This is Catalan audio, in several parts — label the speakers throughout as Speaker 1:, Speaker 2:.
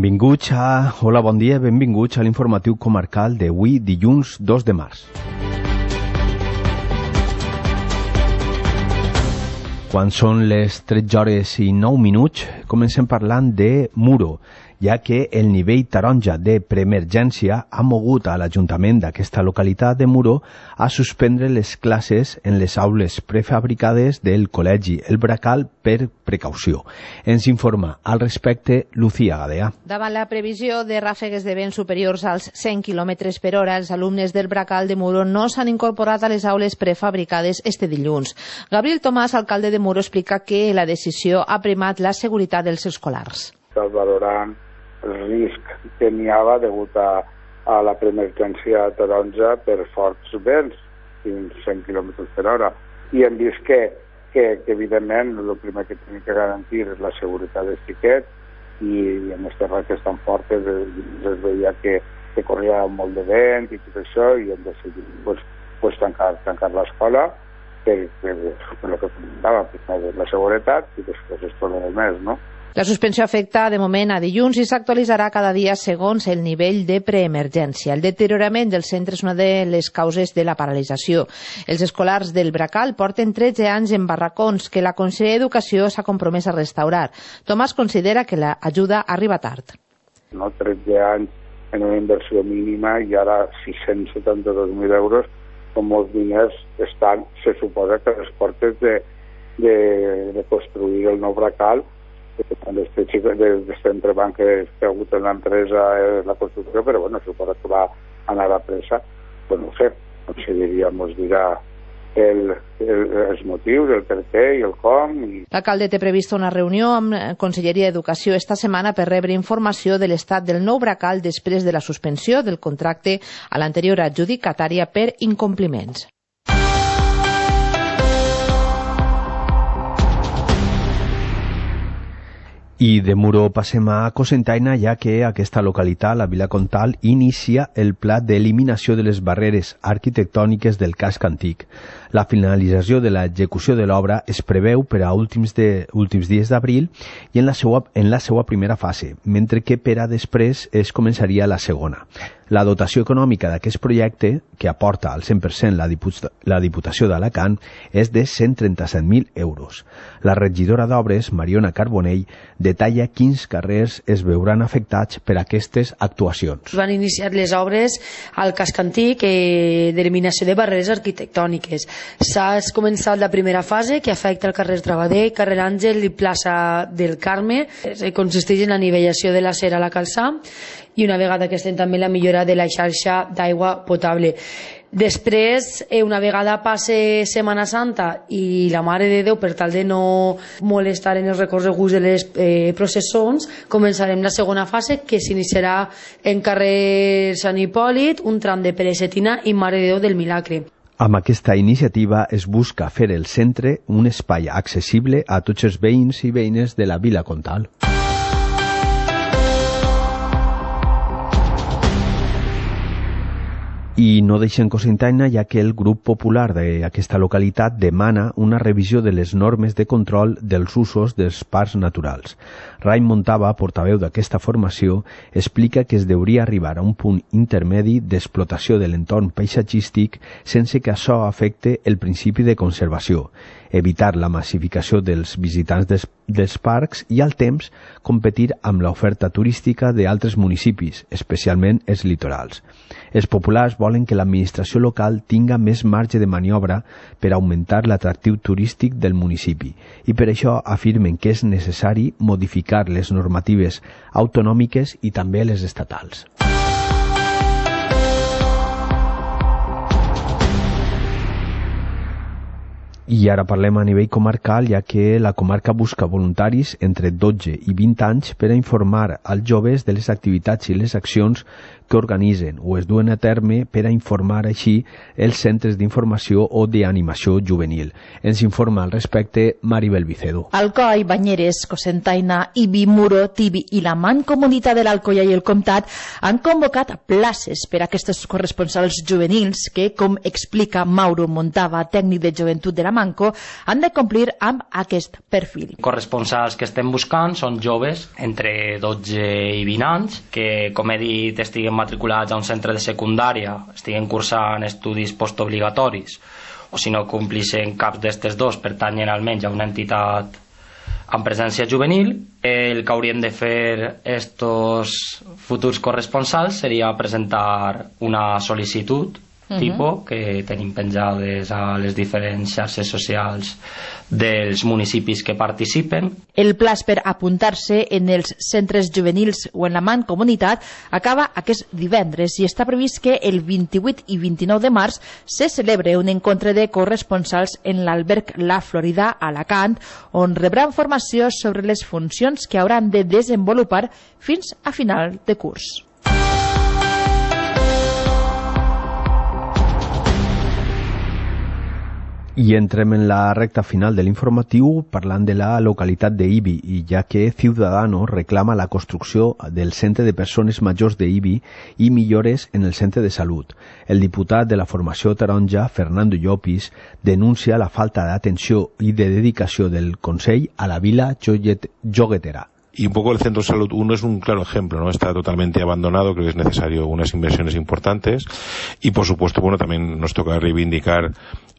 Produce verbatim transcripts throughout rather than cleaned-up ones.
Speaker 1: Benvinguts a... Hola, bon dia, benvinguts a l'informatiu comarcal d'avui, dilluns dos de març. Quan són les tretze hores i nou minuts, comencem parlant de Muro, ja que el nivell taronja de preemergència ha mogut a l'Ajuntament d'aquesta localitat de Muro a suspendre les classes en les aules prefabricades del Col·legi El Bracal per precaució. Ens informa al respecte Lucía Gadea.
Speaker 2: Davant la previsió de ràfegues de vent superiors als cent quilòmetres per hora, els alumnes del Bracal de Muro no s'han incorporat a les aules prefabricades este dilluns. Gabriel Tomàs, alcalde de Muro, explica que la decisió ha primat la seguretat dels escolars.
Speaker 3: Estàs valorant el risc que n'hi havia degut a, a la preemergència taronja per forts vents, fins cent quilòmetres per hora. I hem vist que, que, que evidentment, el primer que tenim que garantir és la seguretat dels xiquets, i en aquestes rates tan fortes es veia que, que corria molt de vent i tot això, i hem decidit pues, pues, tancar, tancar l'escola per, per, per el que comentava, per la seguretat i després és tot el més, no?
Speaker 2: La suspensió afecta de moment a dilluns i s'actualitzarà cada dia segons el nivell de preemergència. El deteriorament del centre és una de les causes de la paralització. Els escolars del Bracal porten tretze anys en barracons que la Conselleria d'Educació s'ha compromès a restaurar. Tomàs considera que l'ajuda arriba tard.
Speaker 3: No, tretze anys en una inversió mínima i ara sis-cents setanta-dos mil euros, com molts diners estan, se suposa que les portes de, de, de construir el nou Bracal, d'aquest entrebanc que ha hagut en l'empresa la construcció, però bueno, suposa que va anar a pressa. Bueno, no sé, la conselleria ens dirà el, el, els motius, el per què i el com. I...
Speaker 2: L'alcalde té prevista una reunió amb la Conselleria d'Educació esta setmana per rebre informació de l'estat del nou Bracal després de la suspensió del contracte a l'anterior adjudicatària per incompliments.
Speaker 1: I de Muro passem a Cocentaina, ja que aquesta localitat, la Vila Comtal, inicia el pla d'eliminació de les barreres arquitectòniques del casc antic. La finalització de l'execució de l'obra es preveu per a últims, de, últims dies d'abril i en la, seua, en la seva primera fase, mentre que per a després es començaria la segona. La dotació econòmica d'aquest projecte, que aporta al cent per cent la, Diput la Diputació d'Alacant, és de cent trenta-set mil euros. La regidora d'Obres, Mariona Carbonell, detalla quins carrers es veuran afectats per aquestes actuacions.
Speaker 4: Van iniciar les obres al casc antic eh, d'eliminació de barreres arquitectòniques. S'ha començat la primera fase, que afecta el carrer Travader, carrer Àngel i plaça del Carme. Eh, consisteix en la nivellació de la cera a la calçada i una vegada que estem també la millora de la xarxa d'aigua potable. Després, una vegada passe Setmana Santa i la Mare de Déu, per tal de no molestar en els recorreguts de les eh, processons, començarem la segona fase, que s'iniciarà en carrer Sant Hipòlit, un tram de Pere Setina i Mare de Déu del Milagre.
Speaker 1: Amb aquesta iniciativa es busca fer el centre un espai accessible a tots els veïns i veïnes de la Vila Comtal. I no deixen Cocentaina, ja que el grup popular d'aquesta localitat demana una revisió de les normes de control dels usos dels parcs naturals. Raim Montava, portaveu d'aquesta formació, explica que es deuria arribar a un punt intermedi d'explotació de l'entorn paisatgístic sense que això afecte el principi de conservació, evitar la massificació dels visitants des, dels parcs i al temps competir amb l'oferta turística d'altres municipis, especialment els litorals. Els populars volen que l'administració local tinga més marge de maniobra per augmentar l'atractiu turístic del municipi i per això afirmen que és necessari modificar les normatives autonòmiques i també les estatals. I ara parlem a nivell comarcal, ja que la comarca busca voluntaris entre dotze i vint anys per a informar als joves de les activitats i les accions que organitzen o es duen a terme per a informar així els centres d'informació o d'animació juvenil. Ens informa al respecte Maribel Vicedo.
Speaker 5: Alcoi, Banyeres, Cocentaina, Ibi, Muro, Tibi i la Mancomunitat de l'Alcoia i el Comtat han convocat places per a aquests corresponsals juvenils que, com explica Mauro Montava, tècnic de joventut de la Manco, han de complir amb aquest perfil.
Speaker 6: Corresponsals que estem buscant són joves entre dotze i vint anys que, com he dit, estiguen matriculats a un centre de secundària, estiguen cursant estudis postobligatoris o si no complixen cap d'estes dos pertanyen almenys a una entitat amb presència juvenil. El que haurien de fer estos futurs corresponsals seria presentar una sol·licitud uh-huh. tipus que tenim penjades a les diferents xarxes socials dels municipis que participen.
Speaker 5: El plaç per apuntar-se en els centres juvenils o en la Mancomunitat acaba aquest divendres i està previst que el vint-i-vuit i vint-i-nou de març se celebre un encontre de corresponsals en l'alberg La Florida a Alacant, on rebran formació sobre les funcions que hauran de desenvolupar fins a final de curs.
Speaker 1: I entrem en la recta final de l'informatiu parlant de la localitat d'Ibi, i ja que Ciudadanos reclama la construcció del centre de persones majors d'Ibi i millores en el centre de salut. El diputat de la formació taronja, Fernando Llopis, denuncia la falta d'atenció i de dedicació del Consell a la vila joguetera.
Speaker 7: Y un poco el Centro de Salud uno es un claro ejemplo, ¿no? Está totalmente abandonado, creo que es necesario unas inversiones importantes y por supuesto, bueno, también nos toca reivindicar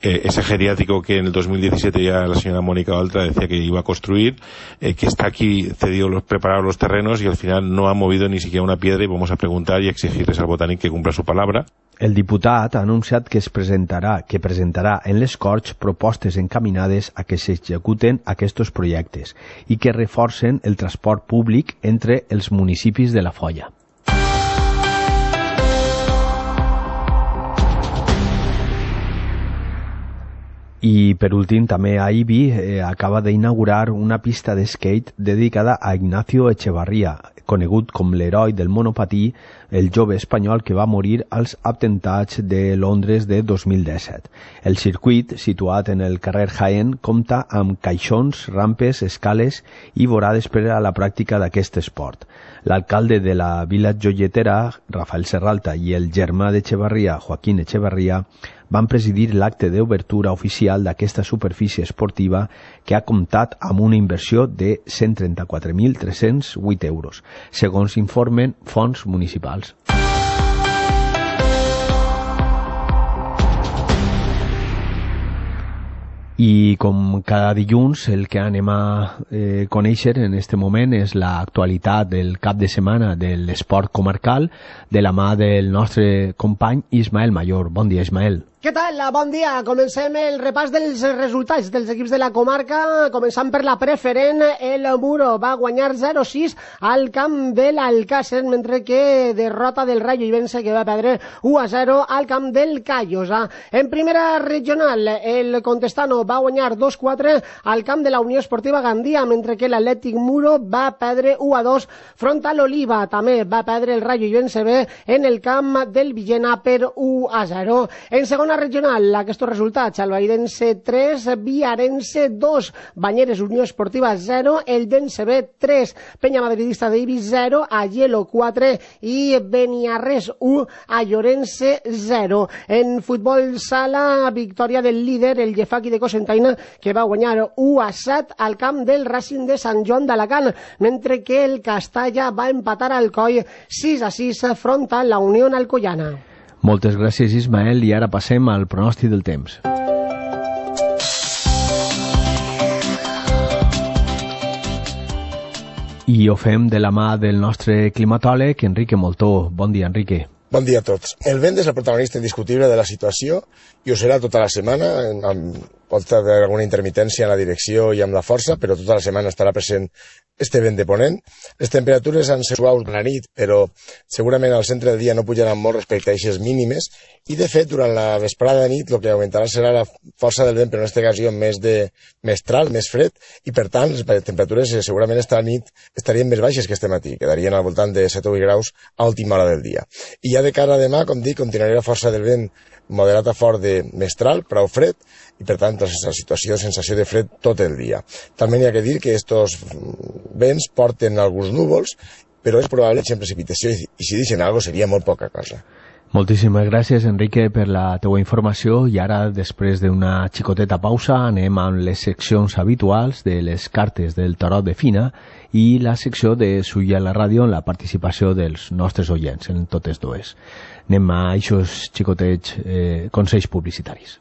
Speaker 7: eh, ese geriátrico que en el dos mil diecisiete ya la señora Mónica Oltra decía que iba a construir, eh, que está aquí cedido, los, preparados los terrenos y al final no ha movido ni siquiera una piedra y vamos a preguntar y exigirles al Botànic que cumpla su palabra.
Speaker 1: El diputat ha anunciat que es presentarà, que presentarà en les Corts propostes encaminades a que s'executen aquests projectes i que reforcen el transport públic entre els municipis de la Foia. I per últim també a Ibi eh, acaba d'inaugurar una pista de skate dedicada a Ignacio Echevarría, conegut com l'heroi del monopatí, el jove espanyol que va morir als atemptats de Londres de dos mil disset. El circuit, situat en el carrer Jaén, compta amb caixons, rampes, escales i vorades per a la pràctica d'aquest esport. L'alcalde de la vila joietera, Rafael Serralta, i el germà d'Echevarría, Joaquín Echevarría, van presidir l'acte d'obertura oficial d'aquesta superfície esportiva que ha comptat amb una inversió de cent trenta-quatre mil tres-cents vuit euros, segons informen fons municipals. I com cada dilluns el que anem a eh, conèixer en este moment és l'actualitat del cap de setmana de l'esport comarcal de la mà del nostre company Ismael Mayor. Bon dia, Ismael.
Speaker 8: Què tal? Bon dia. Comencem el repàs dels resultats dels equips de la comarca, començant per la preferent. El Muro va guanyar zero sis al camp de l'Alcàsser, mentre que derrota del Rayo Ibense, que va perdre u a zero al camp del Callosa. En primera regional, el Contestano va guanyar dos quatre al camp de la Unió Esportiva Gandia, mentre que l'Atlètic Muro va perdre u a dos front a l'Oliva. També va perdre el Rayo Ibense B en el camp del Villena per u a zero. En segona regional, aquests resultats: Albairense tres, Viarense dos, Banyeres Unió Esportiva zero, el Dense B tres, Penya Madridista d'Ibi zero, Aielo quatre i Beniarrés u, a Llorense zero. En futbol sala, victòria del líder, el Llefaqui de Cocentaina, que va guanyar u a set al camp del Racing de Sant Joan d'Alacant, mentre que el Castalla va empatar al Coi sis a sis front a la Unió Alcoiana.
Speaker 1: Moltes gràcies, Ismael, i ara passem al pronòstic del temps. I ho fem de la mà del nostre climatòleg, Enrique Moltó. Bon dia, Enrique.
Speaker 9: Bon dia a tots. El vent és el protagonista indiscutible de la situació i ho serà tota la setmana, amb pot haver alguna intermitència en la direcció i amb la força, però tota la setmana estarà present este vent de ponent. Les temperatures han sigut suaus a la nit, però segurament al centre del dia no pujaran molt respecte a aquestes mínimes, i de fet durant la vesprada de nit el que augmentarà serà la força del vent, però en aquesta ocasió més de mestral, més fred, i per tant les temperatures segurament esta nit estarien més baixes que este matí, quedarien al voltant de set o vuit graus a última hora del dia. I ja de cara a demà, com dic, continuarà la força del vent moderat a fort de mestral, prou fred, i per tant la situació de sensació de fred tot el dia. També hi ha que dir que estos vents porten alguns núvols, però és probable que precipitació, i si deixen alguna cosa seria molt poca cosa.
Speaker 1: Moltíssimes gràcies, Enrique, per la teua informació, i ara, després d'una xicoteta pausa, anem amb les seccions habituals de les cartes del tarot de Fina i la secció de Suïa a la ràdio en la participació dels nostres oients, en totes dues. Anem a aquests xicotets eh, consells publicitaris.